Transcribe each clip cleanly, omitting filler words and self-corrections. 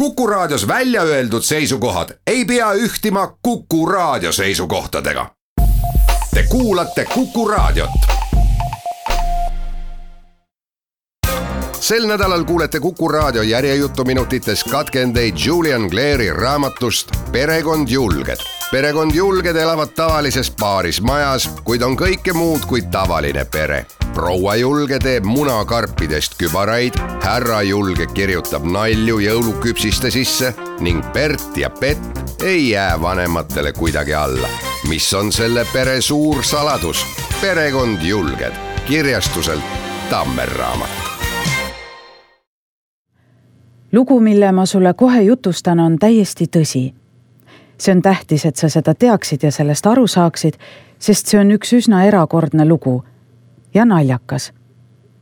Kuku Raadios välja öeldud seisukohad ei pea ühtima Kuku Raadio seisukohtadega. Te kuulate Kuku Raadiot. Sel nädalal kuulete Kuku Raadio järjejutuminutites katkendeid Julian Clairi raamatust Perekond Julged. Perekond Julged elavad tavalises paaris majas, kuid on kõike muud kui tavaline pere. Proua Julge teeb munakarpidest kübaraid, härra Julge kirjutab nalju jõuluküpsiste sisse ning Bert ja Pett ei jää vanematele kuidagi alla. Mis on selle pere suur saladus? Perekond Julged, kirjastuselt Tammer raamat. Lugu, mille ma sulle kohe jutustan, on täiesti tõsi. See on tähtis, et sa seda teaksid ja sellest aru saaksid, sest see on üks üsna erakordne lugu. Ja naljakas.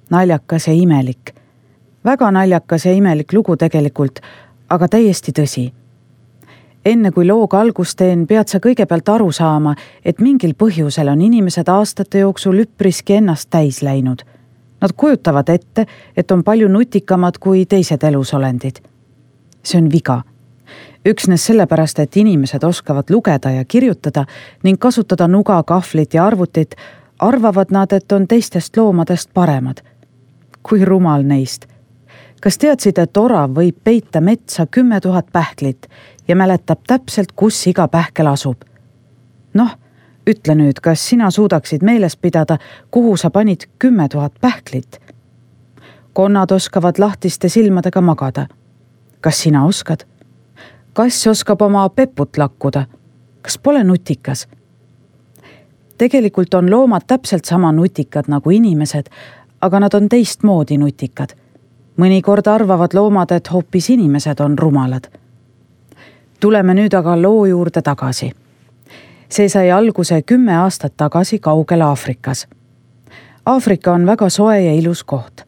Naljakas ja imelik. Väga naljakas ja imelik lugu tegelikult, aga täiesti tõsi. Enne kui looga algust teen, pead sa kõigepealt aru saama, et mingil põhjusel on inimesed aastate jooksul üpriski ennast täis läinud. Nad kujutavad ette, et on palju nutikamad kui teised elusolendid. See on viga. Üksnes sellepärast, et inimesed oskavad lugeda ja kirjutada ning kasutada nuga, kahvlit ja arvutit, arvavad nad, et on teistest loomadest paremad. Kui rumal neist. Kas teadsid, et orav võib peita metsa 10 000 pähklit ja mäletab täpselt, kus iga pähkel asub? Noh, ütle nüüd, kas sina suudaksid meeles pidada, kuhu sa panid 10 000 pähklit? Konnad oskavad lahtiste silmadega magada. Kas sina oskad? Kass oskab oma peput lakkuda. Kas pole nutikas? Tegelikult on loomad täpselt sama nutikad nagu inimesed, aga nad on teistmoodi nutikad. Mõnikord arvavad loomad, et hoopis inimesed on rumalad. Tuleme nüüd aga loo juurde tagasi. See sai alguse 10 aastat tagasi kaugel Aafrikas. Aafrika on väga soe ja ilus koht.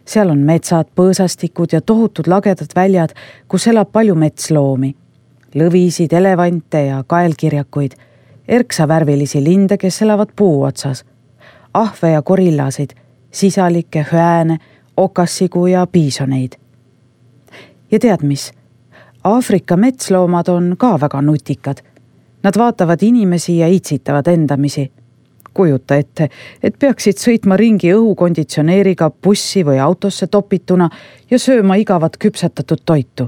Seal on metsad, põõsastikud ja tohutud lagedad väljad, kus elab palju metsloomi. Lõvisid, elevante ja kaelkirjakuid, erksavärvilisi linde, kes elavad puu otsas, ahve ja korillasid, sisalikke, hüääne, okassigu ja piisoneid. Ja tead mis? Aafrika metsloomad on ka väga nutikad. Nad vaatavad inimesi ja itsitavad endamisi. Kujuta ette, et peaksid sõitma ringi õhukonditsioneeriga bussi või autosse topituna ja sööma igavat küpsetatud toitu.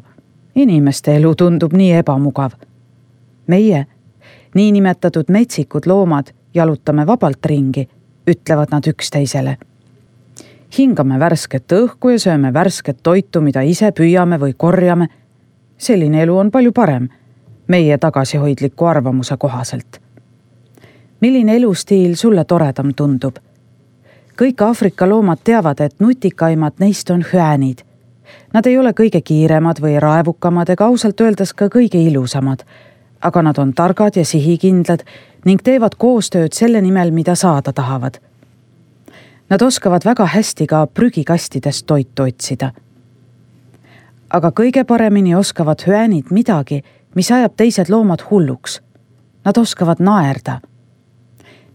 Inimeste elu tundub nii ebamugav. Meie, niinimetatud metsikud loomad, jalutame vabalt ringi, ütlevad nad üksteisele. Hingame värsket õhku ja sööme värsket toitu, mida ise püüame või korjame. Selline elu on palju parem, meie tagasihoidliku arvamuse kohaselt. Milline elustiil sulle toredam tundub? Kõik Aafrika loomad teavad, et nutikaimad neist on hüäänid. Nad ei ole kõige kiiremad või raevukamad ega ausalt öeldes ka kõige ilusamad, aga nad on targad ja sihikindlad ning teevad koostööd selle nimel, mida saada tahavad. Nad oskavad väga hästi ka prügikastidest toitu otsida. Aga kõige paremini oskavad hüäänid midagi, mis ajab teised loomad hulluks. Nad oskavad naerda.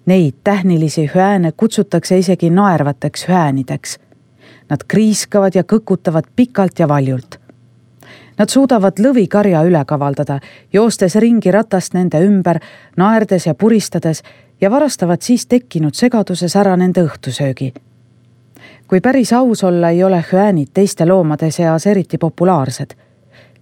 Neid tähnilisi hüääne kutsutakse isegi naervateks hüäänideks. Nad kriiskavad ja kõkutavad pikalt ja valjult. Nad suudavad lõvikarja üle kavaldada, joostes ringi ratast nende ümber, naerdes ja puristades ja varastavad siis tekkinud segaduses ära nende õhtusöögi. Kui päris aus olla, ei ole hüäänid teiste loomade seas eriti populaarsed.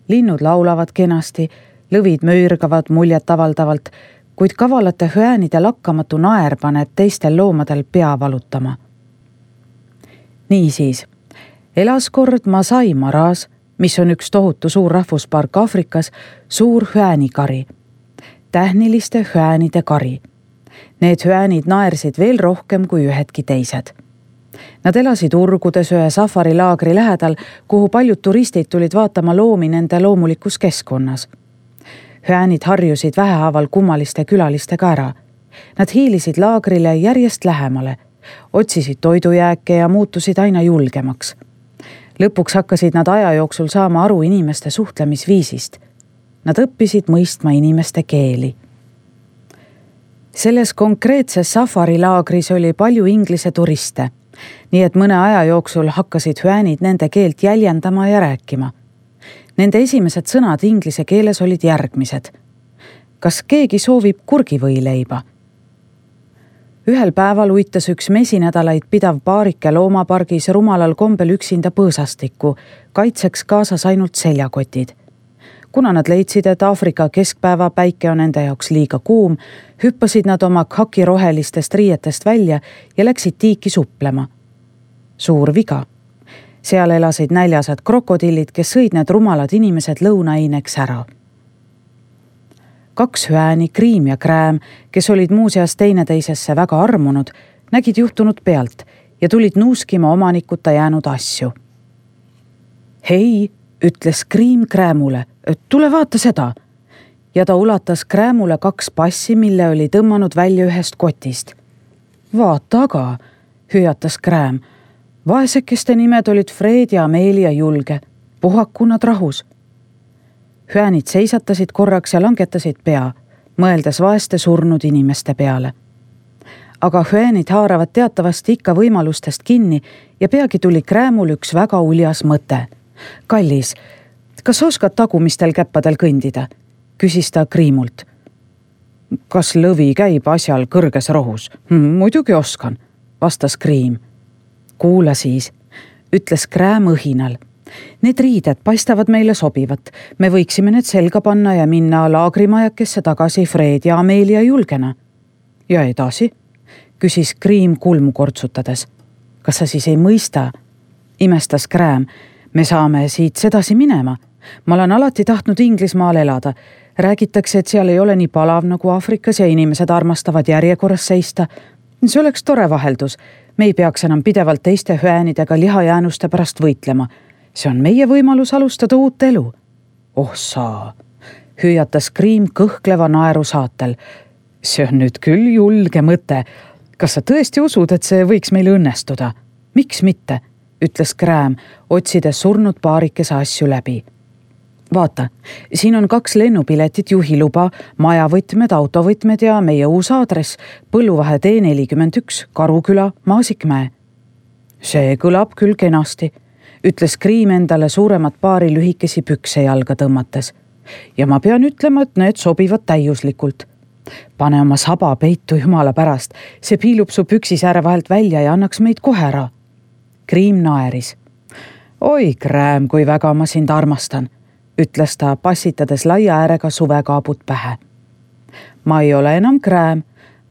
Linnud laulavad kenasti, lõvid möürgavad muljet avaldavalt, kuid kavalate hüäänide lakkamatu naer paneb teistel loomadel pea valutama. Niisiis, elas kord Masai Maras, mis on üks tohutu suur rahvuspark Aafrikas, suur hüäänikari. Tähniliste hüäänide kari. Need hüäänid naersid veel rohkem kui ühedki teised. Nad elasid urgudes ühe safarilaagri lähedal, kuhu paljud turistid tulid vaatama loomi nende loomulikus keskkonnas. Hüäänid harjusid vähehaaval kummaliste külalistega ära. Nad hiilisid laagrile järjest lähemale, otsisid toidujääke ja muutusid aina julgemaks. Lõpuks hakkasid nad aja jooksul saama aru inimeste suhtlemisviisist. Nad õppisid mõistma inimeste keeli. Selles konkreetses safarilaagris oli palju inglise turiste, nii et mõne aja jooksul hakkasid hüäänid nende keelt jäljendama ja rääkima. Nende esimesed sõnad inglise keeles olid järgmised. Kas keegi soovib kurgivõileiba? Ühel päeval uitas üks mesinädalaid pidav paarike loomapargis rumalal kombel üksinda põõsastikku, kaitseks kaasas ainult seljakotid. Kuna nad leidsid, et Aafrika keskpäeva päike on nende jaoks liiga kuum, hüppasid nad oma kakirohelistest riietest välja ja läksid tiiki suplema. Suur viga. Seal elasid näljased krokodillid, kes sõid need rumalad inimesed lõunaaineks ära. 2 hüääni, Kriim ja Krääm, kes olid muuseas teineteisesse väga armunud, nägid juhtunud pealt ja tulid nuuskima omanikuta jäänud asju. Hei, ütles Kriim Kräämule, tule vaata seda. Ja ta ulatas Kräämule 2 passi, mille oli tõmmanud välja ühest kotist. Vaata aga, hüüatas Krääm. Vaesekeste nimed olid Fred ja Amelia Julge. Puhaku nad rahus. Hüäänid seisatasid korraks ja langetasid pea, mõeldes vaeste surnud inimeste peale. Aga hüäänid haaravad teatavasti ikka võimalustest kinni ja peagi tuli Kräämul üks väga uljas mõte. Kallis, kas oskad tagumistel käppadel kõndida? Küsis ta Kriimult. Kas lõvi käib asjal kõrges rohus? Muidugi oskan, vastas Kriim. Kuula siis, ütles Krääm õhinal. Need riided paistavad meile sobivat. Me võiksime need selga panna ja minna laagrimajakesse tagasi Fred ja Amelia Julgena. Ja edasi? Küsis Kriim kulmu kortsutades. Kas sa siis ei mõista? Imestas Krääm. Me saame siit sedasi minema. Ma olen alati tahtnud Inglismaal elada. Räägitakse, et seal ei ole nii palav nagu Aafrikas ja inimesed armastavad järjekorras seista. See oleks tore vaheldus. Me ei peaks enam pidevalt teiste hüäänidega lihajäänuste pärast võitlema. See on meie võimalus alustada uut elu. Oh saa, hüüatas Kriim kõhkleva naeru saatel. See on nüüd küll julge mõte. Kas sa tõesti usud, et see võiks meil õnnestuda? Miks mitte? Ütles Krääm, otsides surnud paarikese asju läbi. Vaata, siin on 2 lennupiletit, juhiluba, majavõtmed, autovõtmed ja meie uus aadress, Põlluvahe tee 41, Karuküla, Maasikmäe. See kõlab küll kenasti, ütles Kriim endale suuremat paari lühikesi pükse jalga tõmmates. Ja ma pean ütlema, et need sobivad täiuslikult. Pane oma saba peitu jumala pärast, see piilub su püksisääre vahelt välja ja annaks meid kohe ära. Kriim naeris. Oi, Krääm, kui väga ma sind armastan, ütles ta passitades laia äärega suvekaabut pähe. Ma ei ole enam Krääm,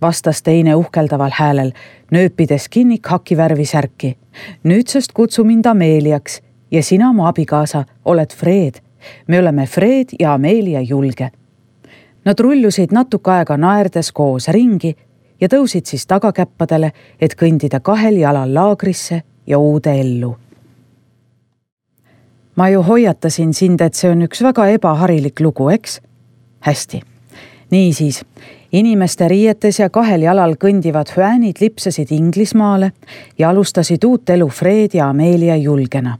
vastas teine uhkeldaval häälel, nööpides kinni kakivärvi särki. Nüüdsest kutsu mind Ameliaks ja sina, mu abikaasa, oled Fred. Me oleme Fred ja Amelia Julge. Nad rullusid natuke aega naerdes koos ringi ja tõusid siis tagakäppadele, et kõndida 2 jalal laagrisse ja uude ellu. Ma ju hoiatasin sind, et see on üks väga ebaharilik lugu, eks? Hästi. Niisiis, inimeste riietes ja 2 jalal kõndivad hüäänid lipsasid Inglismaale ja alustasid uut elu Fred ja Amelia Julgena.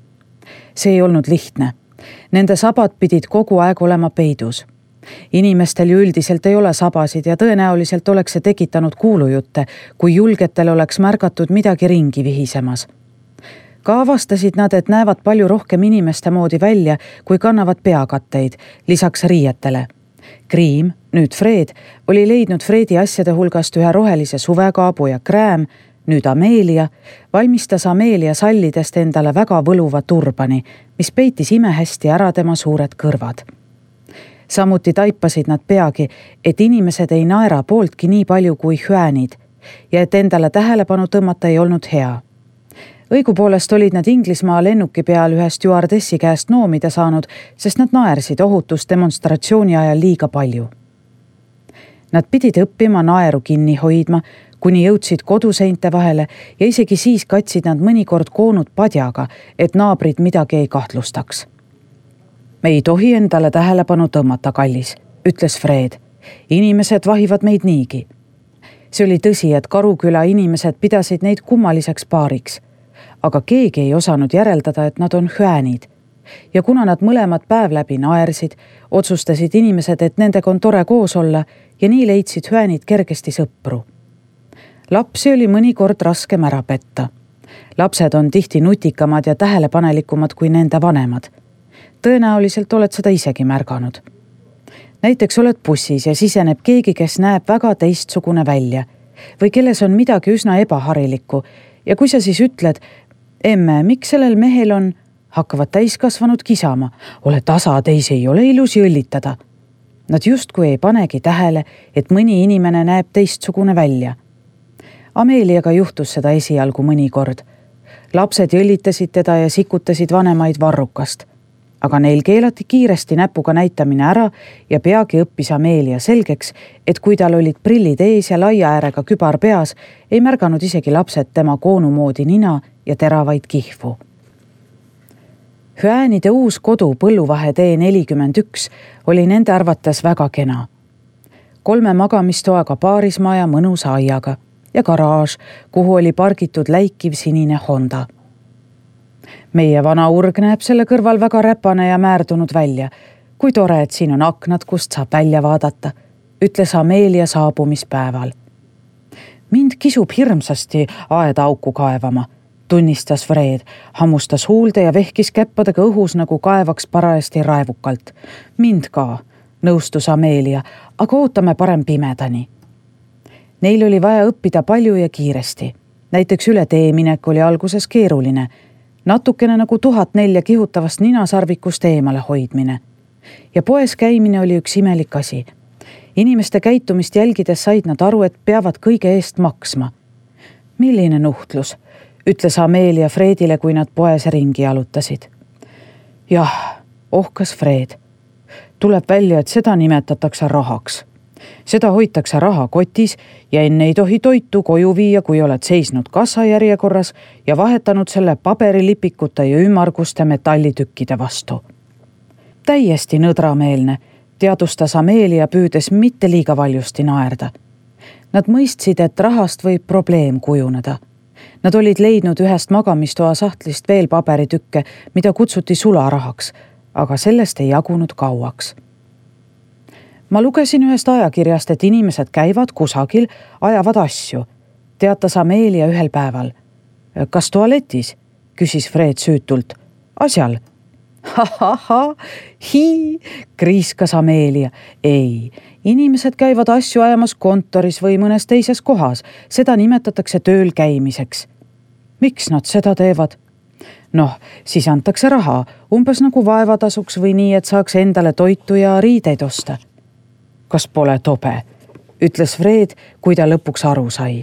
See ei olnud lihtne. Nende sabad pidid kogu aeg olema peidus. Inimestel ju üldiselt ei ole sabasid ja tõenäoliselt oleks see tekitanud kuulujutte, kui julgetel oleks märgatud midagi ringi vihisemas. Ka avastasid nad, et näevad palju rohkem inimeste moodi välja, kui kannavad peakatteid, lisaks riietele. Kriim, nüüd Fred, oli leidnud Fredi asjade hulgast ühe rohelise suvekaabu ja Krääm, nüüd Amelia, valmistas Amelia sallidest endale väga võluva turbani, mis peitis imehästi ära tema suured kõrvad. Samuti taipasid nad peagi, et inimesed ei naera pooltki nii palju kui hüäänid ja et endale tähelepanu tõmmata ei olnud hea. Õigupoolest olid nad Inglismaa lennuki peal ühe stjuardessi käest noomida saanud, sest nad naersid ohutusdemonstratsiooni ajal liiga palju. Nad pidid õppima naeru kinni hoidma, kuni jõudsid koduseinte vahele ja isegi siis katsid nad mõnikord koonud padjaga, et naabrid midagi ei kahtlustaks. Me ei tohi endale tähelepanu tõmmata, kallis, ütles Fred. Inimesed vahivad meid niigi. See oli tõsi, et Karuküla inimesed pidasid neid kummaliseks paariks. Aga keegi ei osanud järeldada, et nad on hüäänid. Ja kuna nad mõlemad päev läbi naersid, otsustasid inimesed, et nendega on tore koos olla ja nii leidsid hüäänid kergesti sõpru. Lapsi oli mõnikord raskem ära petta. Lapsed on tihti nutikamad ja tähelepanelikumad kui nende vanemad. tõenäoliselt oled seda isegi märganud. Näiteks oled bussis ja siseneb keegi, kes näeb väga teistsugune välja või kelles on midagi üsna ebaharilikku ja kui sa siis ütled, emme, miks sellel mehel on, hakkavad täiskasvanud kisama, ole tasa, teisi ei ole ilus jõllitada. Nad justkui ei panegi tähele, et mõni inimene näeb teistsugune välja. Ameeliaga juhtus seda esialgu mõnikord. Lapsed jõllitasid teda ja sikutasid vanemaid varrukast. Aga neil keelati kiiresti näpuga näitamine ära ja peagi õppis Ameelia selgeks, et kui tal olid prillid ees ja laia äärega kübar peas, ei märganud isegi lapsed tema koonumoodi nina ja teravaid kihvu. Hüäänide uus kodu Põlluvahe tee 41 oli nende arvates väga kena. 3 magamistoaga paarismaja mõnusa aiaga ja garaaž, kuhu oli pargitud läikiv sinine Honda. Meie vana urg näeb selle kõrval väga räpane ja määrdunud välja. Kui tore, et siin on aknad, kust saab välja vaadata, ütles Ameelia saabumispäeval. Mind kisub hirmsasti aeda auku kaevama, tunnistas Fred, hammustas huulde ja vehkis käppadega õhus nagu kaevaks parajasti raevukalt. Mind ka, nõustus Ameelia, aga ootame parem pimedani. Neil oli vaja õppida palju ja kiiresti. Näiteks üle teeminek oli alguses keeruline, natukene nagu 1004 kihutavast ninasarvikust eemale hoidmine. Ja poes käimine oli üks imelik asi. Inimeste käitumist jälgides said nad aru, et peavad kõige eest maksma. Milline nuhtlus, ütles Ameelia Fredile, kui nad poes ringi jalutasid. Jah, ohkas Fred. Tuleb välja, et seda nimetatakse rahaks. Seda hoitakse rahakotis ja enne ei tohi toitu koju viia, kui oled seisnud kassajärjekorras ja vahetanud selle paberilipikute ja ümmarguste metallitükkide vastu. Täiesti nõdrameelne, teadustas Ameelia püüdes mitte liiga valjusti naerda. Nad mõistsid, et rahast võib probleem kujuneda. Nad olid leidnud ühest magamistoa sahtlist veel paberitükke, mida kutsuti sularahaks, aga sellest ei jagunud kauaks. Ma lugesin ühest ajakirjast, et inimesed käivad kusagil, ajavad asju, teatas Ameelia ühel päeval. Kas tualetis? Küsis Fred süütult. Asjal. Kriiskas Ameelia. Ei, inimesed käivad asju ajamas kontoris või mõnes teises kohas. Seda nimetatakse tööl käimiseks. Miks nad seda teevad? Noh, siis antakse raha, umbes nagu vaevatasuks või nii, et saaks endale toitu ja riideid osta. Kas pole tobe, ütles Fred, kui ta lõpuks aru sai.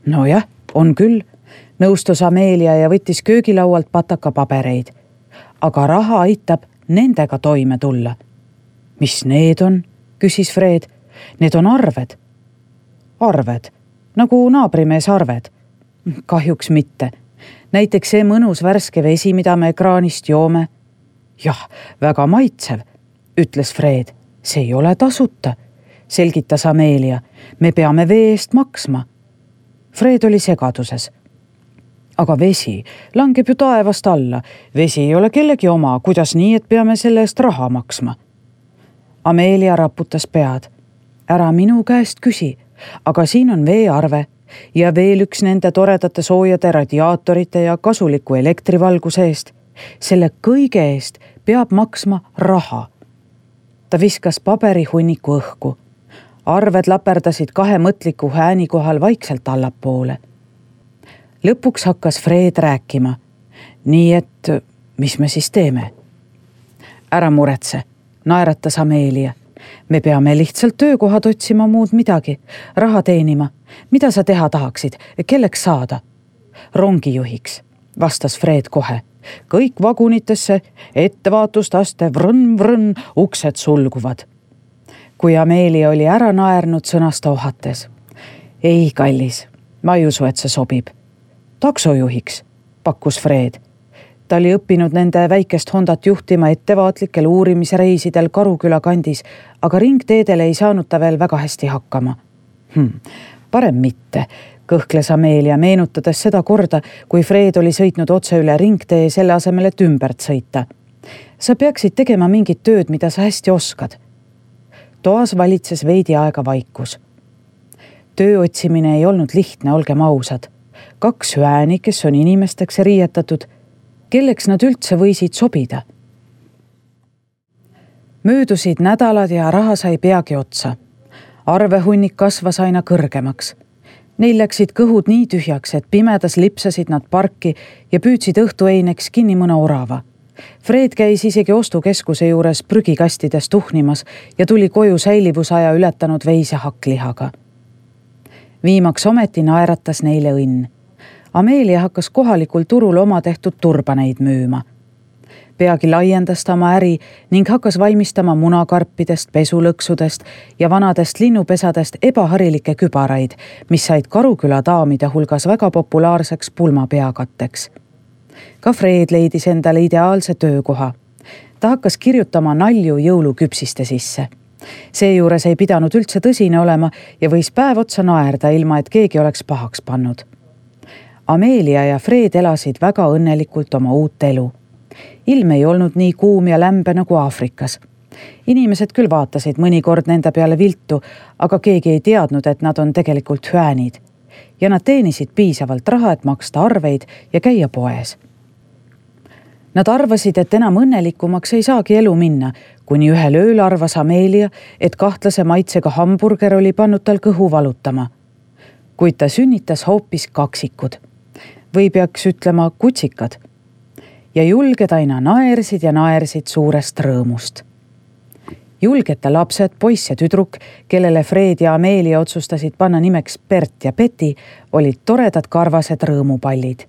Nojah, on küll, nõustus Ameelia ja võttis köögilaualt pataka pabereid. Aga raha aitab nendega toime tulla. Mis need on, küsis Fred. Need on arved. Arved, nagu naabrimees arved. Kahjuks mitte. Näiteks see mõnus värske vesi, mida me ekraanist joome. Jah, väga maitsev, ütles Fred. See ei ole tasuta, selgitas Ameelia. Me peame vee eest maksma. Fred oli segaduses. Aga vesi langeb ju taevast alla. Vesi ei ole kellegi oma, kuidas nii, et peame selle eest raha maksma? Ameelia raputas pead. Ära minu käest küsi, aga siin on veearve ja veel üks nende toredate soojade radiaatorite ja kasuliku elektrivalguse eest. Selle kõige eest peab maksma raha. Ta viskas paberihunniku õhku. Arved laperdasid 2 mõtliku hääni kohal vaikselt allapoole. Lõpuks hakkas Fred rääkima. Nii et, mis me siis teeme? Ära muretse, naeratas Ameelia. Me peame lihtsalt töökohad otsima, muud midagi. Raha teenima. Mida sa teha tahaksid? Kelleks saada? Rongijuhiks, vastas Fred kohe. Kõik vagunitesse, ettevaatustaste, vrõn, uksed sulguvad. Kui Ameelia oli ära naernud, sõnas ta ohates. Ei, kallis, ma ei usu, et see sobib. Taksojuhiks, pakkus Fred. Ta oli õppinud nende väikest Hondat juhtima ettevaatlikel uurimisreisidel Karuküla kandis, aga ringteedele ei saanud ta veel väga hästi hakkama. Parem mitte, kõhkles Ameelia, meenutades seda korda, kui Fred oli sõitnud otse üle ringtee selle asemel, et ümbert sõita. Sa peaksid tegema mingit tööd, mida sa hästi oskad. Toas valitses veidi aega vaikus. Töö otsimine ei olnud lihtne, olgem ausad. 2 hüääni, kes on inimesteks riietatud, kelleks nad üldse võisid sobida. Möödusid nädalad ja raha sai peagi otsa. Arvehunnik kasvas aina kõrgemaks. Neil läksid kõhud nii tühjaks, et pimedas lipsasid nad parki ja püüdsid õhtueineks kinni mõne orava. Fred käis isegi ostukeskuse juures prügikastides tuhnimas ja tuli koju säilivusaja ületanud veise hakklihaga. Viimaks ometi naeratas neile õnn. Amelia hakkas kohalikul turul oma tehtud turbaneid müüma. Peagi laiendas ta oma äri ning hakkas valmistama munakarpidest, pesulõksudest ja vanadest linnupesadest ebaharilikke kübaraid, mis said Karuküla daamide hulgas väga populaarseks pulmapeakatteks. Ka Fred leidis endale ideaalse töökoha. Ta hakkas kirjutama nalju jõuluküpsiste sisse. Seejuures ei pidanud üldse tõsine olema ja võis päev otsa naerda, ilma et keegi oleks pahaks pannud. Amelia ja Fred elasid väga õnnelikult oma uut elu. Ilm ei olnud nii kuum ja lämbe nagu Aafrikas. Inimesed küll vaatasid mõnikord nende peale viltu, aga keegi ei teadnud, et nad on tegelikult hüäänid. Ja nad teenisid piisavalt raha, et maksta arveid ja käia poes. Nad arvasid, et enam õnnelikumaks ei saagi elu minna, kuni ühel ööl arvas Amelia, et kahtlase maitsega hamburger oli pannud tal kõhu valutama. Kuid ta sünnitas hoopis kaksikud. Või peaks ütlema kutsikad. Ja julged aina naersid ja naersid suurest rõõmust. Julgete lapsed, poiss ja tüdruk, kellele Fred ja Amelia otsustasid panna nimeks Bert ja Betty, olid toredad karvased rõõmupallid.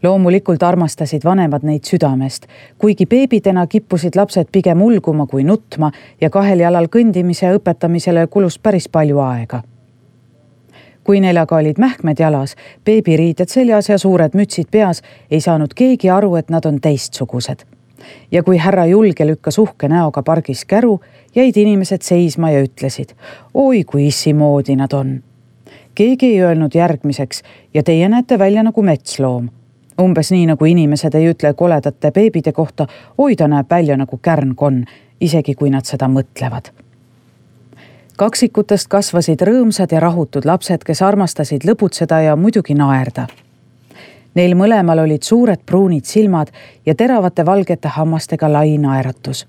Loomulikult armastasid vanemad neid südamest, kuigi beebidena kippusid lapsed pigem ulguma kui nutma ja kahel jalal kõndimise õpetamisele kulus päris palju aega. Kui neil aga olid mähkmed jalas, beebiriided seljas ja suured mütsid peas, ei saanud keegi aru, et nad on teistsugused. Ja kui härra Julge lükkas uhke näoga pargis käru, jäid inimesed seisma ja ütlesid, oi kui issi moodi nad on. Keegi ei öelnud järgmiseks ja teie näete välja nagu metsloom. Umbes nii nagu inimesed ei ütle koledate beebide kohta, oi ta näeb välja nagu kärnkonn, isegi kui nad seda mõtlevad. Kaksikutest kasvasid rõõmsad ja rahutud lapsed, kes armastasid lõbutseda ja muidugi naerda. Neil mõlemal olid suured pruunid silmad ja teravate valgete hammastega lai naeratus.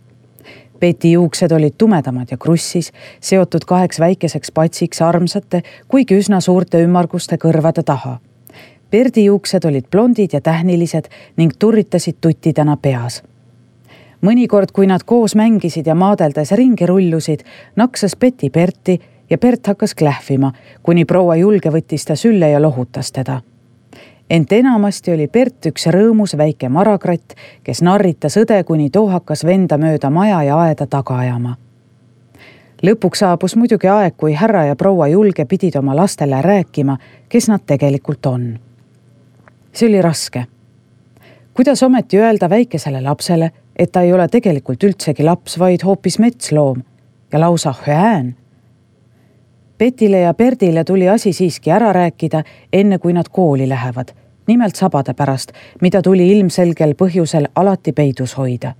Betty juuksed olid tumedamad ja krussis, seotud 2 väikeseks patsiks armsate, kuigi üsna suurte ümmarguste kõrvade taha. Berdi juuksed olid blondid ja tähnilised ning turritasid tuttidena peas. Mõnikord, kui nad koos mängisid ja maadeldes ringi rullusid, naksas Betty Berti ja Bert hakkas klähvima, kuni proua Julge võttis ta sülle ja lohutas teda. Ent enamasti oli Bert üks rõõmus väike marakratt, kes narritas õde, kuni too hakkas venda mööda maja ja aeda taga ajama. Lõpuks saabus muidugi aeg, kui härra ja proua Julge pidid oma lastele rääkima, kes nad tegelikult on. See oli raske. Kuidas ometi öelda väikesele lapsele, et ta ei ole tegelikult üldsegi laps, vaid hoopis metsloom ja lausa hüään? Betile ja Berdile tuli asi siiski ära rääkida, enne kui nad kooli lähevad, nimelt sabade pärast, mida tuli ilmselgel põhjusel alati peidus hoida.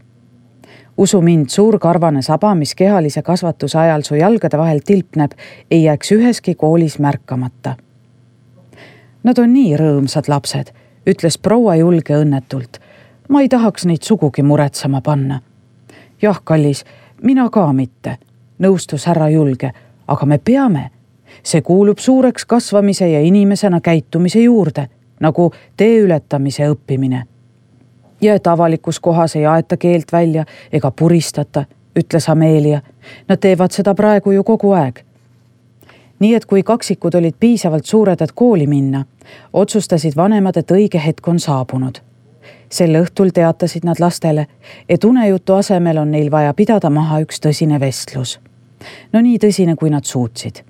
Usu mind, suur karvane saba, mis kehalise kasvatuse ajal su jalgade vahel tilpneb, ei jääks üheski koolis märkamata. Nad on nii rõõmsad lapsed, ütles proua Julge õnnetult. Ma ei tahaks neid sugugi muretsema panna. Jah, kallis, mina ka mitte, nõustus härra Julge, aga me peame. See kuulub suureks kasvamise ja inimesena käitumise juurde, nagu tee ületamise õppimine. Ja et avalikus kohas ei aeta keelt välja ega puristata, ütles Amelia. Nad teevad seda praegu ju kogu aeg. Nii et kui kaksikud olid piisavalt suured, et kooli minna, otsustasid vanemad, et õige hetk on saabunud. Sel õhtul teatasid nad lastele, et unejutu asemel on neil vaja pidada maha üks tõsine vestlus. No nii tõsine, kui nad suutsid.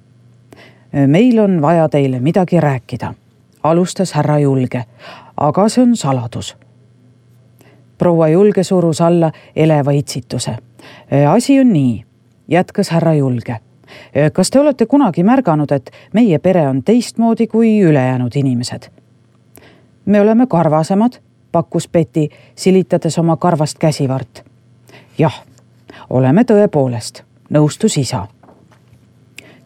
Meil on vaja teile midagi rääkida, alustas härra Julge, aga see on saladus. Proua Julge surus alla eleva itsituse. Asi on nii, jätkas härra Julge. Kas te olete kunagi märganud, et meie pere on teistmoodi kui ülejäänud inimesed? Me oleme karvasemad, pakkus Betty, silitades oma karvast käsivart. Jah, oleme tõepoolest, nõustus isa.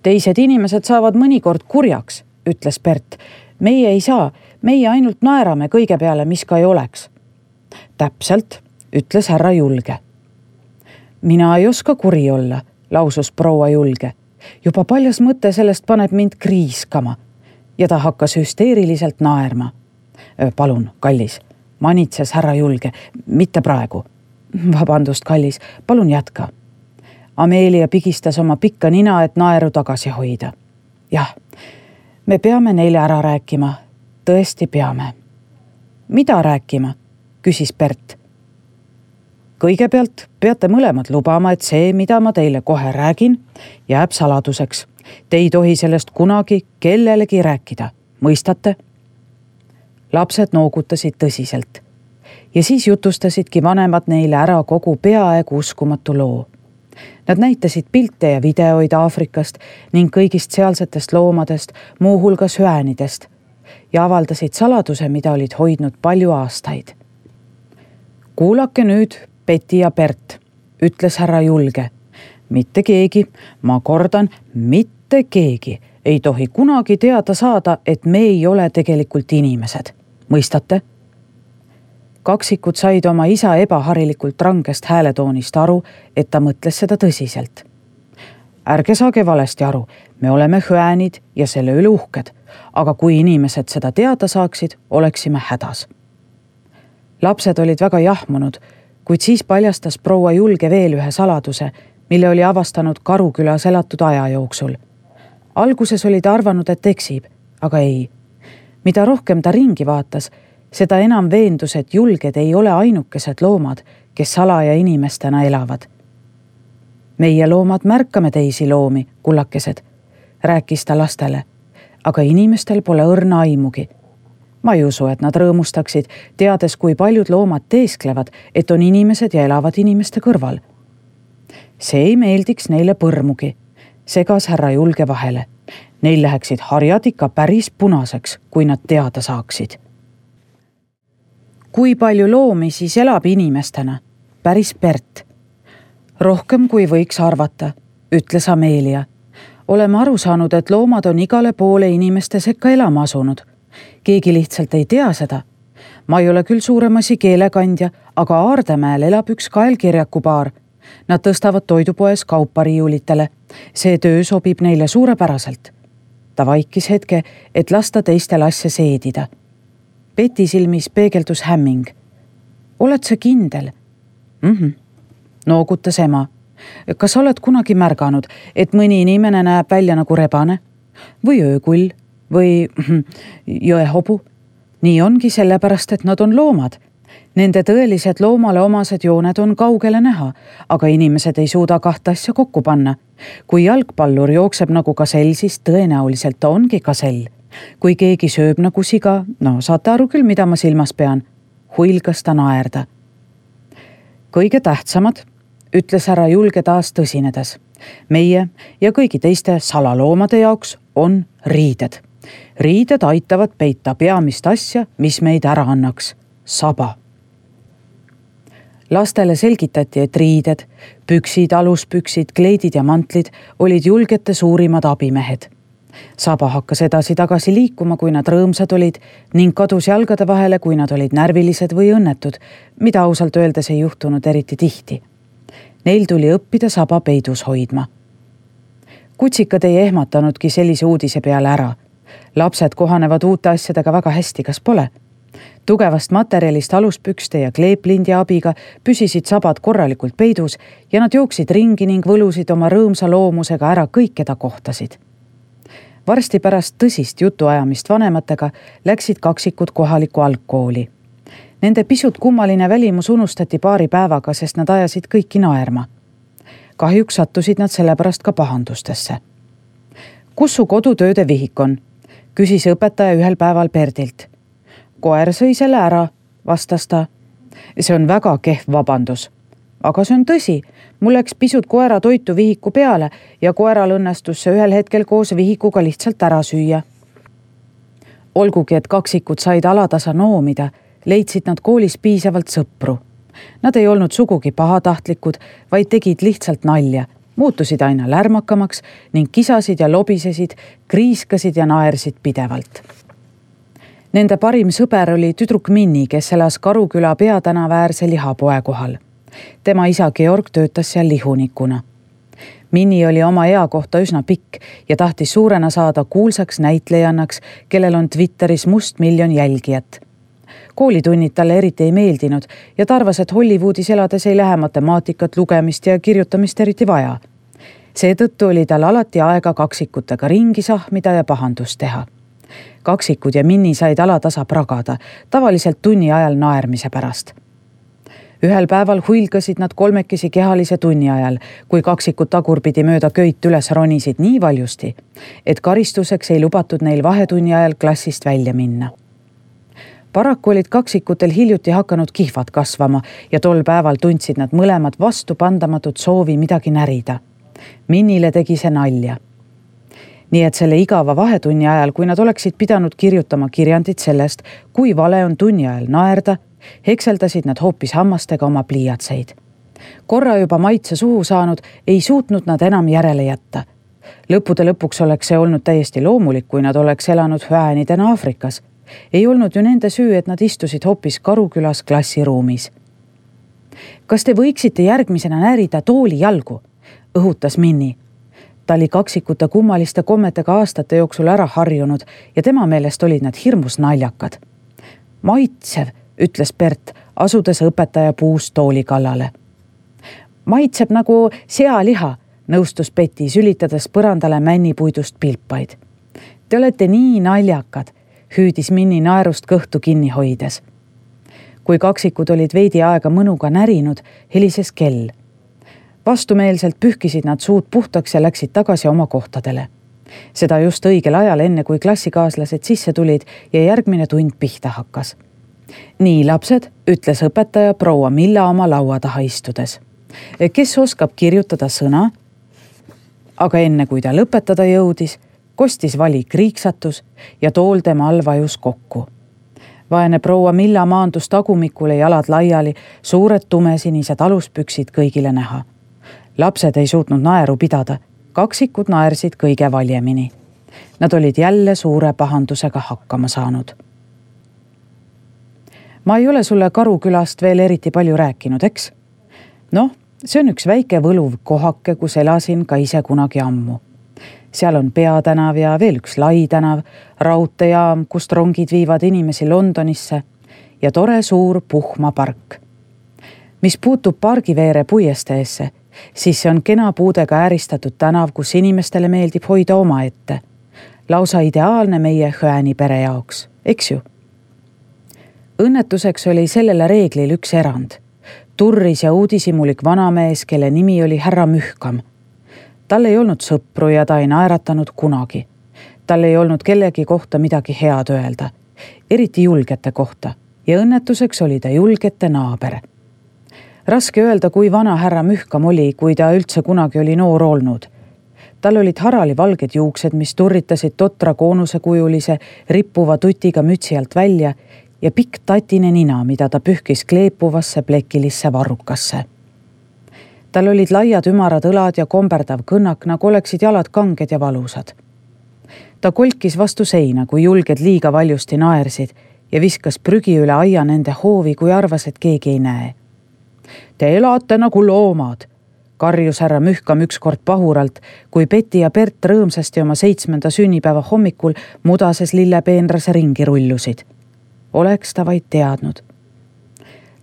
Teised inimesed saavad mõnikord kurjaks, ütles Bert. Meie ei saa, meie ainult naerame kõige peale, mis ka ei oleks. Täpselt, ütles härra Julge. mina ei oska kuri olla, lausus proua Julge. Juba paljas mõte sellest paneb mind kriiskama ja ta hakkas hüsteeriliselt naerma. Palun, kallis, manitses härra Julge, mitte praegu. Vabandust, kallis, palun jätka. Amelia pigistas oma pikka nina, et naeru tagasi hoida. Jah, me peame neile ära rääkima. Tõesti peame. Mida rääkima? Küsis Bert. Kõigepealt peate mõlemad lubama, et see, mida ma teile kohe räägin, jääb saladuseks. Te ei tohi sellest kunagi kellelegi rääkida. Mõistate? Lapsed noogutasid tõsiselt. Ja siis jutustasidki vanemad neile ära kogu peaaegu uskumatu loo. Nad näitasid pilte ja videoid Aafrikast ning kõigist sealsetest loomadest, muuhulgas hüäänidest, ja avaldasid saladuse, mida olid hoidnud palju aastaid. Kuulake nüüd, Betty ja Bert, ütles härra Julge. Mitte keegi, ma kordan, mitte keegi ei tohi kunagi teada saada, et me ei ole tegelikult inimesed. Mõistate? Kaksikud said oma isa ebaharilikult rangest hääletoonist aru, et ta mõtles seda tõsiselt. Ärge saage valesti aru, me oleme hüäänid ja selle üle uhked, aga kui inimesed seda teada saaksid, oleksime hädas. Lapsed olid väga jahmunud, kuid siis paljastas proua Julge veel ühe saladuse, mille oli avastanud Karukülas elatud aja jooksul. Alguses oli ta arvanud, et eksib, aga ei. Mida rohkem ta ringi vaatas, seda enam veendus, et julged ei ole ainukesed loomad, kes salaja inimestena elavad. Meie loomad märkame teisi loomi, kullakesed, rääkis ta lastele, aga inimestel pole õrna aimugi. Ma ei usu, et nad rõõmustaksid, teades, kui paljud loomad teesklevad, et on inimesed ja elavad inimeste kõrval. See ei meeldiks neile põrmugi, segas härra Julge vahele. Neil läheksid harjad ikka päris punaseks, kui nad teada saaksid. Kui palju loomi siis elab inimestena? Päris Bert. Rohkem kui võiks arvata, ütles Amelia. Oleme aru saanud, et loomad on igale poole inimeste sekka elama asunud. Keegi lihtsalt ei tea seda. Ma ei ole küll suuremasi keelekandja, aga Aardemäel elab üks kaelkirjakupaar. Nad tõstavad toidupoes kaupa riiulitele. See töö sobib neile suurepäraselt. Ta vaikis hetke, et lasta teistel asja seedida. Betty silmis peegeldus hämming. Oled sa kindel? Noogutas ema. Kas oled kunagi märganud, et mõni inimene näeb välja nagu rebane? Või öökull? Või jõehobu? Nii ongi sellepärast, et nad on loomad. Nende tõelised loomale omased jooned on kaugele näha, aga inimesed ei suuda kahte asja kokku panna. Kui jalgpallur jookseb nagu kasell, siis tõenäoliselt ta ongi kasell. Kui keegi sööb nagu siga, saate aru küll, mida ma silmas pean. Huilgas ta naerda. Kõige tähtsamad, ütles härra Julge taas tõsinedes. Meie ja kõigi teiste salaloomade jaoks on riided. Riided aitavad peita peamist asja, mis meid ära annaks. Saba. Lastele selgitati, et riided, püksid, aluspüksid, kleidid ja mantlid olid julgete suurimad abimehed. Saba hakkas edasi-tagasi liikuma, kui nad rõõmsad olid ning kadus jalgade vahele, kui nad olid närvilised või õnnetud, mida ausalt öeldes ei juhtunud eriti tihti. Neil tuli õppida saba peidus hoidma. Kutsikad ei ehmatanudki sellise uudise peale ära. Lapsed kohanevad uute asjadega väga hästi, kas pole? Tugevast materjalist aluspükste ja kleeplindi abiga püsisid sabad korralikult peidus ja nad jooksid ringi ning võlusid oma rõõmsa loomusega ära kõik, keda kohtasid. Varsti pärast tõsist jutuajamist vanematega läksid kaksikud kohalikku algkooli. Nende pisut kummaline välimus unustati paari päevaga, sest nad ajasid kõiki naerma. Kahjuks sattusid nad sellepärast ka pahandustesse. Kus su kodutööde vihik on? Küsis õpetaja ühel päeval Berdilt. Koer sõi selle ära, vastas ta. See on väga kehv vabandus. Aga see on tõsi, mul läks pisut koera toitu vihiku peale ja koeral õnnestus see ühel hetkel koos vihikuga lihtsalt ära süüa. Olgugi, et kaksikud said alatasa noomida, leidsid nad koolis piisavalt sõpru. Nad ei olnud sugugi pahatahtlikud, vaid tegid lihtsalt nalja, muutusid aina lärmakamaks ning kisasid ja lobisesid, kriiskasid ja naersid pidevalt. Nende parim sõber oli tüdruk Minni, kes elas Karuküla peatänava äärse lihapoe kohal. tema isa Georg töötas seal lihunikuna. Minni oli oma ea kohta üsna pikk ja tahtis suurena saada kuulsaks näitlejannaks, kellel on Twitteris must 1 miljon jälgijat. Koolitunnid talle eriti ei meeldinud ja ta arvas, et Hollywoodis elades ei lähe matemaatikat, lugemist ja kirjutamist eriti vaja. Seetõttu oli tal alati aega kaksikutega ringi sahmida ja pahandust teha. Kaksikud ja Minni said alatasa pragada, tavaliselt tunni ajal naermise pärast. Ühel päeval huilgasid nad kolmekesi kehalise tunni ajal, kui kaksikud tagurpidi mööda köit üles ronisid nii valjusti, et karistuseks ei lubatud neil vahetunni ajal klassist välja minna. Paraku olid kaksikutel hiljuti hakanud kihvad kasvama ja tol päeval tundsid nad mõlemad vastupandamatut soovi midagi närida. Minnile tegi see nalja. Nii et selle igava vahetunni ajal, kui nad oleksid pidanud kirjutama kirjandit sellest, kui vale on tunni ajal naerda, hekseldasid nad hoopis hammastega oma pliiatseid. Korra juba maitse suhu saanud, ei suutnud nad enam järele jätta. Lõppude lõpuks oleks see olnud täiesti loomulik, kui nad oleks elanud hüäänidena Aafrikas. Ei olnud ju nende süü, et nad istusid hoopis Karukülas klassiruumis. Kas te võiksite järgmisena närida tooli jalgu? Õhutas Minni. Ta oli kaksikute kummaliste kommetega aastate jooksul ära harjunud ja tema meelest olid nad hirmus naljakad. Maitsev, ütles Bert, asudes õpetaja puust tooli kallale. Maitseb nagu sealiha, nõustus Betty, sülitades põrandale männipuidust pilpaid. Te olete nii naljakad, hüüdis Minni naerust kõhtu kinni hoides. Kui kaksikud olid veidi aega mõnuga närinud, helises kell. Vastumeelselt pühkisid nad suud puhtaks ja läksid tagasi oma kohtadele. Seda just õigel ajal, enne kui klassikaaslased sisse tulid ja järgmine tund pihta hakkas. Nii, lapsed, ütles õpetaja proua Milla oma laua taha istudes. Kes oskab kirjutada sõna? Aga enne kui ta lõpetada jõudis, kostis vali kriiksatus ja tool tema all vajus kokku. Vaene proua Milla maandus tagumikule, jalad laiali, suured tumesinised aluspüksid kõigile näha. Lapsed ei suutnud naeru pidada, kaksikud naersid kõige valjemini. Nad olid jälle suure pahandusega hakkama saanud. Ma ei ole sulle Karukülast veel eriti palju rääkinud, eks? Noh, see on üks väike võluv kohake, kus elasin ka ise kunagi ammu. Seal on Peatänav ja veel üks Lai tänav, raudteejaam, kust rongid viivad inimesi Londonisse ja tore suur Puhma park. Mis puutub pargiveere puiesteesse, siis see on kena puudega ääristatud tänav, kus inimestele meeldib hoida oma ette. Lausa ideaalne meie Hüääni pere jaoks, eks ju? Õnnetuseks oli sellele reeglil üks erand. Turris ja uudisimulik vanamees, kelle nimi oli härra Mühkam. Tal ei olnud sõpru ja ta ei naeratanud kunagi. Tal ei olnud kellegi kohta midagi head öelda, eriti julgete kohta, ja õnnetuseks oli ta julgete naaber. Raske öelda, kui vana härra Mühkam oli, kui ta üldse kunagi oli noor olnud. Tal olid harali valged juuksed, mis turritasid totra koonusekujulise rippuva tutiga mütsi alt välja ja pikk tatine nina, mida ta pühkis kleepuvasse plekilisse varrukasse. Tal olid laiad ümarad õlad ja komberdav kõnnak, nagu oleksid jalad kanged ja valusad. Ta kolkis vastu seina, kui julged liiga valjusti naersid ja viskas prügi üle aia nende hoovi, kui arvas, et keegi ei näe. Te elate nagu loomad, karjus härra Mühkam ükskord pahuralt, kui Betty ja Bert rõõmsasti oma 7. sünnipäeva hommikul mudases lillepeenrase ringi rullusid. Oleks ta vaid teadnud.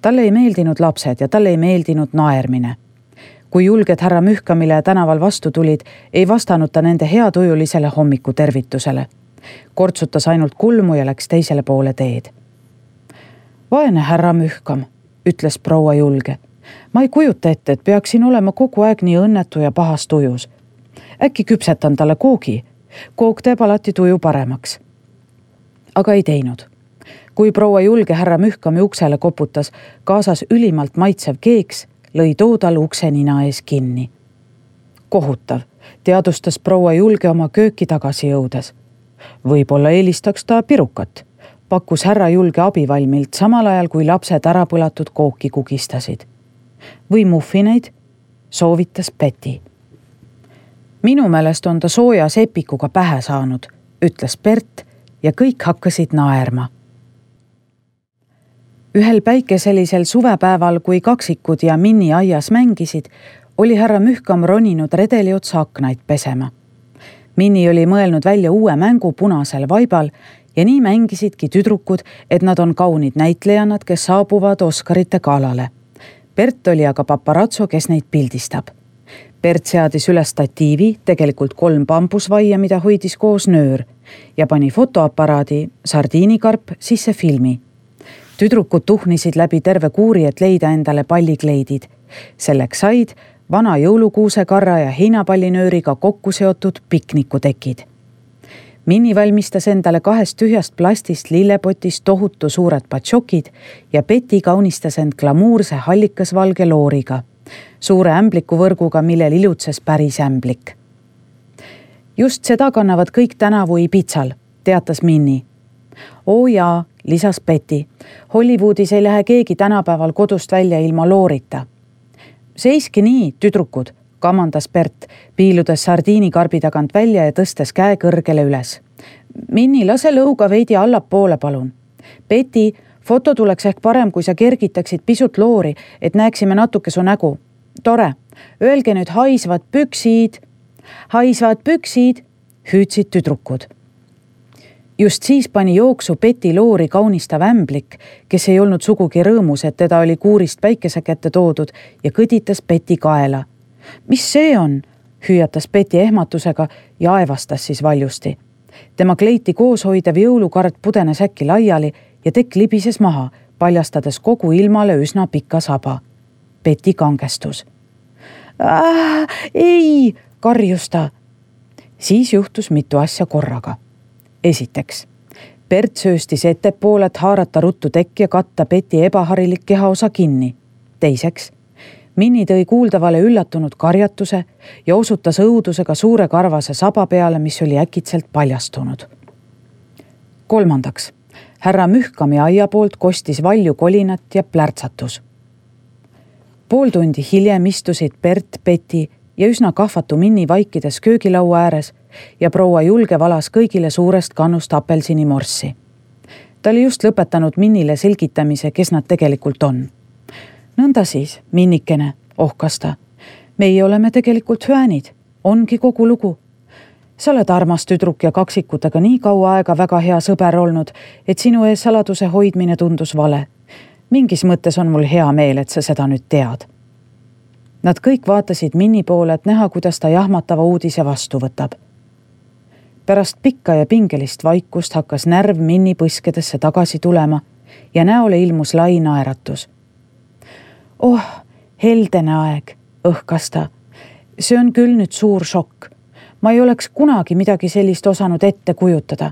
Talle ei meeldinud lapsed ja talle ei meeldinud naermine. Kui julged härra Mühkamile tänaval vastu tulid, ei vastanud ta nende heatujulisele hommiku tervitusele. Kortsutas ainult kulmu ja läks teisele poole teed. Vaene härra Mühkam, ütles proua julge. Ma ei kujuta ette, et peaksin olema kogu aeg nii õnnetu ja pahas tujus. Äkki küpsetan talle koogi. Koog teeb alati tuju paremaks. Aga ei teinud. Kui proua julge härra Mühkami uksele koputas, kaasas ülimalt maitsev keeks, lõi too tal ukse nina ees kinni. Kohutav, teadustas proua julge oma kööki tagasi jõudes. Võib-olla eelistaks ta pirukat, pakkus härra julge abivalmilt samal ajal, kui lapsed ära põlatud kooki kugistasid. Või muffineid, soovitas Betty. Minu meelest on ta sooja sepikuga pähe saanud, ütles Bert ja kõik hakkasid naerma. Ühel päikeselisel suvepäeval, kui kaksikud ja Minni aias mängisid, oli härra Mühkam roninud redeli otsa aknaid pesema. Minni oli mõelnud välja uue mängu punasel vaibal ja nii mängisidki tüdrukud, et nad on kaunid näitlejannad, kes saabuvad Oscarite galale. Bert oli aga paparazzo, kes neid pildistab. Bert seadis üles statiivi, tegelikult 3 bambusvaia, mida hoidis koos nöör ja pani fotoaparaadi sardiinikarp sisse filmi. Tüdrukud tuhnisid läbi terve kuuri, et leida endale pallikleidid. Selleks said vana jõulukuusekarra ja heinapallinööriga kokku seotud piknikutekid. Minni valmistas endale 2 tühjast plastist lillepotist tohutu suured patšokid ja Betty kaunistas end glamuurse hallikasvalge looriga, suure ämblikuvõrguga, millel ilutses päris ämblik. Just seda kannavad kõik tänavu Ibizal, teatas Minni. Oo jaa, lisas Betty, Hollywoodis ei lähe keegi tänapäeval kodust välja ilma loorita. Seiski nii, tüdrukud, kamandas Bert, piiludes sardiinikarbi tagant välja ja tõstes käe kõrgele üles. Minni, lase lõuga veidi allapoole, palun. Betty, foto tuleks ehk parem, kui sa kergitaksid pisut loori, et näeksime natuke su nägu. Tore, öelge nüüd haisvad püksid. Haisvad püksid, hüüdsid tüdrukud. Just siis pani jooksu Betty loori kaunistav ämblik, kes ei olnud sugugi rõõmus, et teda oli kuurist päikese kätte toodud ja kõditas Betty kaela. Mis see on? Hüüatas Betty ehmatusega ja aevastas siis valjusti. Tema kleiti koos hoidev jõulukard pudenes äkki laiali ja tekk libises maha, paljastades kogu ilmale üsna pika saba. Betty kangestus. Ei, karjus ta. Siis juhtus mitu asja korraga. Esiteks, Bert sööstis ettepoole, et haarata ruttu tekk ja katta Betty ebaharilik kehaosa kinni. Teiseks, Minni tõi kuuldavale üllatunud karjatuse ja osutas õudusega suure karvase saba peale, mis oli äkitselt paljastunud. Kolmandaks, härra Mühkami aia poolt kostis valju kolinat ja plärtsatus. Pool tundi hiljem istusid Bert, Betty ja üsna kahvatu Minni vaikides köögilaua ääres ja proua Julge valas kõigile suurest kannust apelsinimorssi. Ta oli just lõpetanud Minnile selgitamise, kes nad tegelikult on. Nõnda siis, Minnikene, ohkas ta. Meie oleme tegelikult hüänid, ongi kogu lugu. Sa oled armas tüdruk ja kaksikutega nii kaua aega väga hea sõber olnud, et sinu ees saladuse hoidmine tundus vale. Mingis mõttes on mul hea meel, et sa seda nüüd tead. Nad kõik vaatasid Minni poole, et näha, kuidas ta jahmatava uudise vastu võtab. Pärast pikka ja pingelist vaikust hakkas närv Minni põskedesse tagasi tulema ja näole ilmus lai naeratus. Oh, heldene aeg, õhkas ta. See on küll nüüd suur šokk. Ma ei oleks kunagi midagi sellist osanud ette kujutada.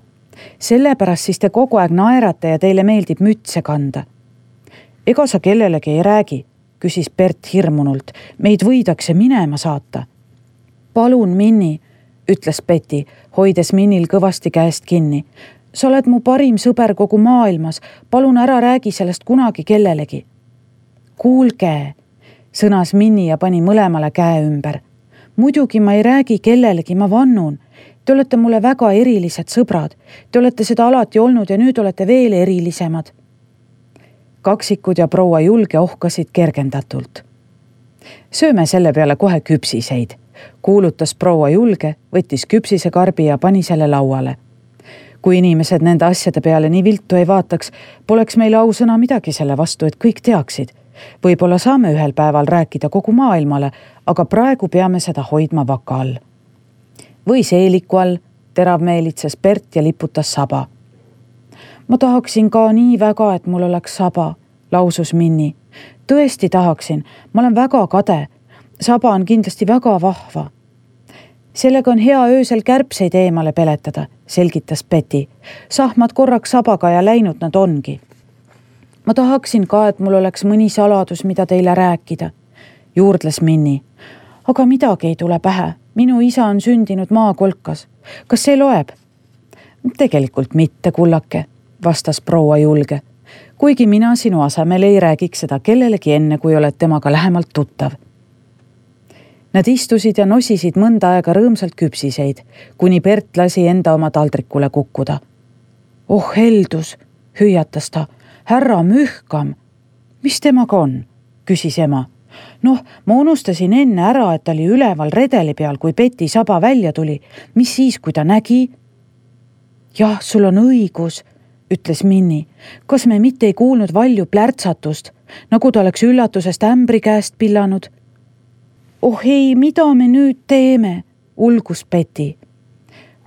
Sellepärast siis te kogu aeg naerate ja teile meeldib mütse kanda. Ega sa kellelegi ei räägi, küsis Bert hirmunult. Meid võidakse minema saata. Palun, Minni, ütles Betty, hoides Minnil kõvasti käest kinni. Sa oled mu parim sõber kogu maailmas. Palun ära räägi sellest kunagi kellelegi. Kuulge, sõnas Minni ja pani mõlemale käe ümber. Muidugi ma ei räägi kellelegi, ma vannun. Te olete mulle väga erilised sõbrad. Te olete seda alati olnud ja nüüd olete veel erilisemad. Kaksikud ja proua Julge ohkasid kergendatult. Sööme selle peale kohe küpsiseid, kuulutas proua Julge, võttis küpsisekarbi ja pani selle lauale. Kui inimesed nende asjade peale nii viltu ei vaataks, poleks meile ausõna midagi selle vastu, et kõik teaksid. Võib-olla saame ühel päeval rääkida kogu maailmale, aga praegu peame seda hoidma vaka all. Või seeliku all, teravmeelitses Bert ja liputas saba. Ma tahaksin ka nii väga, et mul oleks saba, lausus Minni. Tõesti tahaksin, ma olen väga kade. Saba on kindlasti väga vahva. Sellega on hea öösel kärbseid eemale peletada, selgitas Betty. Sahmad korraks sabaga ja läinud nad ongi. Ma tahaksin ka, et mul oleks mõni saladus, mida teile rääkida, juurdles Minni. Aga midagi ei tule pähe. Minu isa on sündinud maakolkas. Kas see loeb? Tegelikult mitte, kullake, vastas proua Julge. Kuigi mina sinu asemel ei räägiks seda kellelegi enne, kui oled temaga lähemalt tuttav. Nad istusid ja nosisid mõnda aega rõõmsalt küpsiseid, kuni Bert lasi enda oma taldrikule kukkuda. Oh heldus, hüüatas ta. härra Mühkam. Mis temaga on? Küsis ema. Noh, ma unustasin enne ära, et ta oli üleval redeli peal, kui Peti saba välja tuli. Mis siis, kui ta nägi? Jah, sul on õigus, ütles Minni. Kas me mitte ei kuulnud valju plärtsatust, nagu ta oleks üllatusest ämbri käest pillanud? Oh ei, mida me nüüd teeme? Ulgus Peti.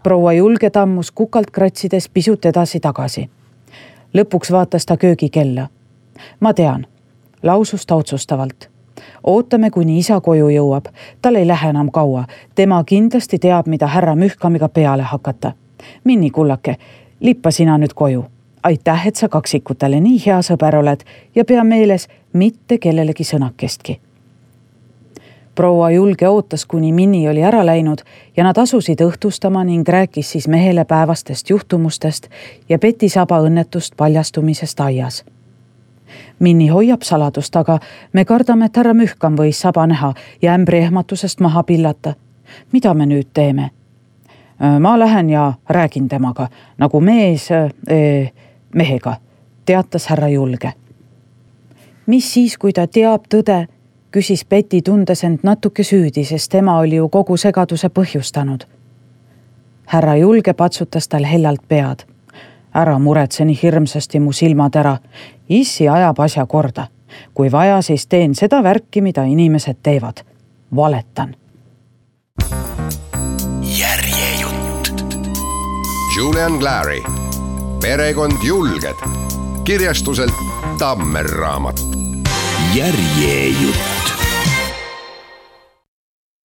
Proua Julge tammus kukalt kratsides pisut edasi tagasi. Lõpuks vaatas ta köögikella. Ma tean, lausus ta otsustavalt. Ootame, kuni isa koju jõuab. Tal ei lähe enam kaua. Tema kindlasti teab, mida härra Mühkamiga peale hakata. Minni kullake, lippa sina nüüd koju. Aitäh, et sa kaksikutele nii hea sõber oled ja pea meeles mitte kellelegi sõnakestki. Proua Julge ootas, kuni Minni oli ära läinud ja nad asusid õhtustama ning rääkis siis mehele päevastest juhtumustest ja Peti saba õnnetust paljastumisest aias. Minni hoiab saladust, aga me kardame, et härra Mühkam võis saba näha ja ämbri ehmatusest maha pillata. Mida me nüüd teeme? Ma lähen ja räägin temaga, nagu mehega, teatas härra Julge. Mis siis, kui ta teab tõde? Küsis Peti, tundes end natuke süüdi, sest tema oli ju kogu segaduse põhjustanud. Härra Julge patsutas tal hellalt pead. Ära muretse nii hirmsasti mu silmad ära. Issi ajab asja korda. Kui vaja, siis teen seda värki, mida inimesed teevad. Valetan. Järjejutt. Julian Clary. Perekond Julged. Kirjastuselt Tammer raamat. Järjejutt.